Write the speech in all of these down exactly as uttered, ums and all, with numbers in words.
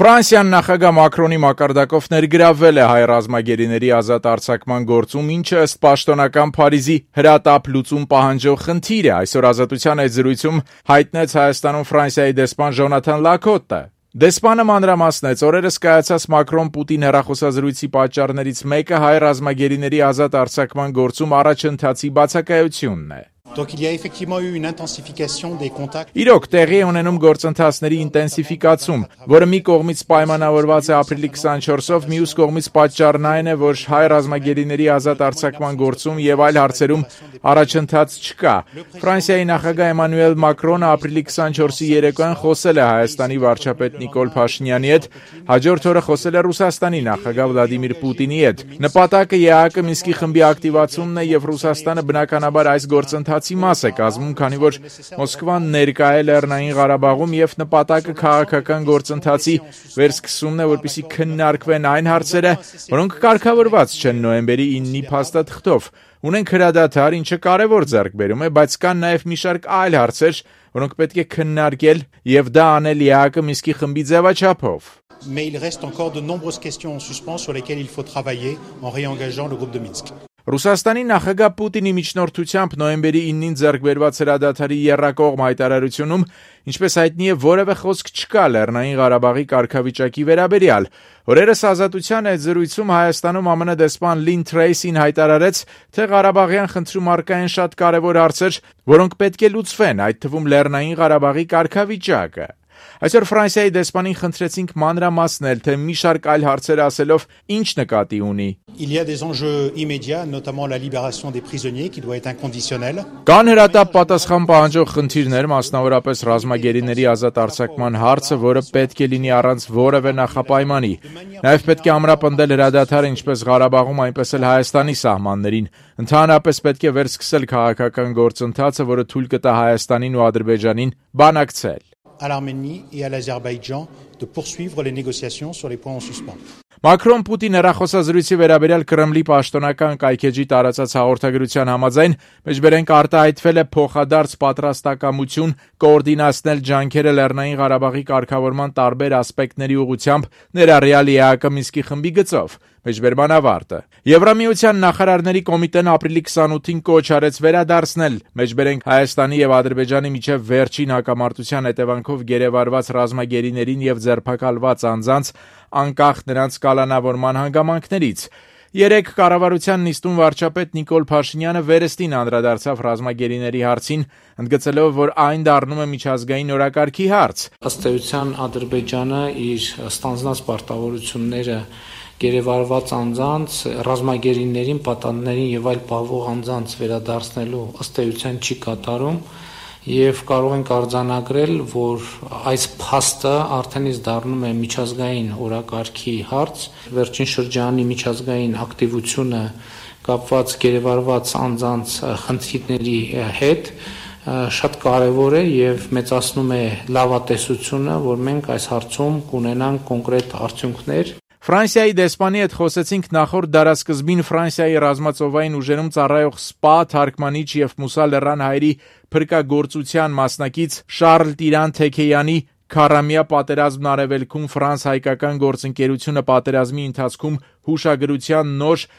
Ֆրանսիան նախագահ Մակրոնի մակարդակով ներգրավվել է հայ ռազմագերիների ազատ արձակման գործում, ինչը ըստ պաշտոնական Փարիզի հրատապ լուծում պահանջող խնդիր է, այսօր Ազատության այդ զրույցում հայտնեց Հայաստանում Ֆրանսիայի դեսպան Ժոնաթան Լակոտը։ Դեսպանը մանրամասնեց օրերս կայացած Մակրոն-Պուտին հեռախոսազրույցի պատճառներից մեկը հայ ռազմագերիների ազատ արձակման գործում առաջընթացի բացակայությունն է։ Donc il y a effectivement eu une intensification des contacts. Իրոք տեղի է ունենում գործընթացների ինտենսիֆիկացում, որը մի կողմից պայմանավորված է ապրիլի քսանչորսով, մյուս կողմից պատճառն այն է, որ հայ ռազմագերիների ազատ արձակման գործում եւ այլ հարցերում առաջընթաց չկա։ Ֆրանսիայի նախագահ Էմանուել Մակրոնը ապրիլի քսանչորսի երեկոյան խոսել է Հայաստանի վարչապետ Նիկոլ Փաշինյանի հետ, հաջորդ օրը խոսել է Ռուսաստանի նախագահ Վլադիմիր Պուտինի հետ։ Նպատակը ԵԱՀԿ Մինսկի խմբի ակտիվացումն է եւ Ռուսաստանը բնականաբար այս գործընթացի մաս է կազմում, քանի որ Մոսկվան ներկա է Լեռնային Ղարաբաղում եւ նպատակը քաղաքական գործընթացի վերսկսումն է, որպեսզի քննարկվեն այն հարցերը, որոնք կարգավորված չեն նոյեմբերի իննի փաստաթղթով։ Ունենք հրադադար, ինչը կարևոր ձեռքբերում է, բայց կան նաեւ մի շարք այլ հարցեր, որոնք պետք է քննարկել եւ դա անել ԵԱՀԿ Մինսկի խմբի ձևաչափով։ Mais il reste encore de nombreuses questions en suspens sur lesquelles il faut travailler en réengageant le groupe de Minsk. Ռուսաստանի նախագահ Պուտինի միջնորդությամբ նոյեմբերի իննին ձեռք բերված հրադադարի եռակողմ հայտարարությունում, ինչպես հայտնի է, որևէ խոսք չկա Լեռնային Ղարաբաղի կարգավիճակի վերաբերյալ։ Օրերս Ազատության այդ զրույցում Հայաստանում ԱՄՆ դեսպան Լին Թրեյսին հայտարարեց, թե Ղարաբաղյան խնդրում առկա են շատ կարևոր հարցեր, որոնք պետք է լուծվեն, այդ թվում Լեռնային Ղարաբաղի կարգավիճակը։ Այսօր Ֆրանսիայի դեսպանին խնդրեցինք մանրամասնել, թե մի շարք այլ հարցեր ասելով ինչ նկատի ունի։ Il y a des enjeux immédiats, notamment la libération des prisonniers qui doit être inconditionnelle. Կան հրատապ պատասխան պահանջող խնդիրներ, մասնավորապես ռազմագերիների ազատ արձակման հարցը, որը պետք է լինի առանց որևէ նախապայմանի։ Նաև պետք է ամրապնդել հրադադարը ինչպես Ղարաբաղում, այնպես էլ Հայաստանի սահմաններին։ Ընդհանրապես պետք է վերսկսել քաղաքական գործընթացը, որը թույլ կտա Հայաստանին ու Ադրբեջանին բանակցել։ À l'Arménie et à l'Azerbaïdjan de poursuivre les négociations sur les points en suspens. Մակրոն-Պուտին հեռախոսազրույցի վերաբերյալ Կրեմլի պաշտոնական կայքեջի տարածած հաղորդագրության համաձայն մեջբերենք արտահայտվել է փոխադարձ պատրաստակամություն կոորդինացնել ջանքերը Լեռնային Ղարաբաղի կարգավորման տարբեր ասպեկտների ուղղությամբ, ներառյալ ԵԱՀԿ Մինսկի խմբի գծով։ Մեջբերման ավարտը։ Եվրամիության նախարարների կոմիտեն ապրիլի քսանութին կոչ արեց վերադարձնել մեջբերենք Հայաստանի եւ Ադրբեջանի միջև վերջին հակամարտության հետևանքով գերեվարված ռազմագերիներին եւ ձերբակալված անձանց անկախ նրանց կալանավորման հանգամանքներից։ Երեք կառավարության նիստում վարչապետ Նիկոլ Փաշինյանը վերստին անդրադարձավ ռազմագերիների հարցին, ընդգծելով, որ այն դառնում է միջազգային օրակարգի հարց։ Ըստ էության Ադրբեջանը իր ստանձնած պարտավորությունները գերեվարված անձանց, ռազմագերիներին, պատանդներին եւ այլ պահվող անձանց վերադարձնելու ըստ էության չի կատարում եւ կարող ենք արձանագրել, որ այս փաստը արդեն իսկ դառնում է միջազգային օրակարգի հարց, վերջին շրջանի միջազգային ակտիվությունը կապված գերեվարված անձանց խնդիրների հետ շատ կարևոր է եւ մեծացնում է լավատեսությունը, որ մենք այս հարցում կունենանք կոնկրետ արդյունքներ։ Ֆրանսիայի դեսպանի հետ խոսեցինք նախորդ դարասկզբին Ֆրանսիայի ռազմածովային ուժերում ծառայող ՍՊԱ թարգմանիչ եւ Մուսա լեռան հայերի փրկագործության մասնակից Շարլ Տիրան Թեքեյանի քառամյա պատերազմն արևելքում ֆրանս-հայկական գործընկերությունը պատերազմի ընթացքում հուշագրության նոր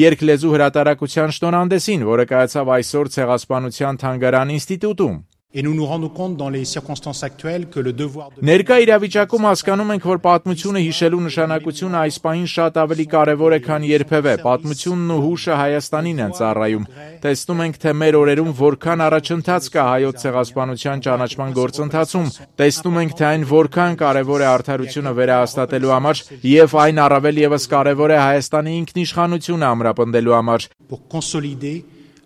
երկլեզու հրատարակության շնորհանդեսին, որը կայացավ այսօր Ցեղասպանության թանգարան ինստիտուտում։ Et nous nous rendons compte dans les circonstances actuelles que le devoir de Ներկա իրավիճակում հասկանում ենք, որ պատմությունը հիշելու նշանակությունը այս պահին շատ ավելի կարևոր է, քան երբևէ։ Պատմությունն ու հուշը Հայաստանին են ծառայում։ Տեսնում ենք, թե մեր օրերում որքան առաջընթաց կա հայոց ցեղասպանության ճանաչման գործընթացում։ Տեսնում ենք, թե այն որքան կարևոր է արդարությունը վերահաստատելու համար եւ այն առավել եւս կարևոր է Հայաստանի ինքնիշխանությունը ամրապնդելու համար։ pour consolider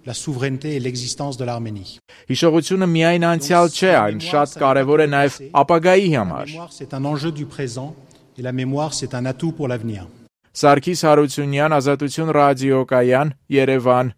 la souveraineté et l'existence de l'Arménie. Հիշողությունը միայն անցյալ չէ, այն շատ կարևոր է նաև ապագայի համար։ La mémoire, c'est un enjeu du présent et la mémoire, c'est un atout pour l'avenir. Սարգիս Հարությունյան, Ազատություն ռադիոկայան, Երևան։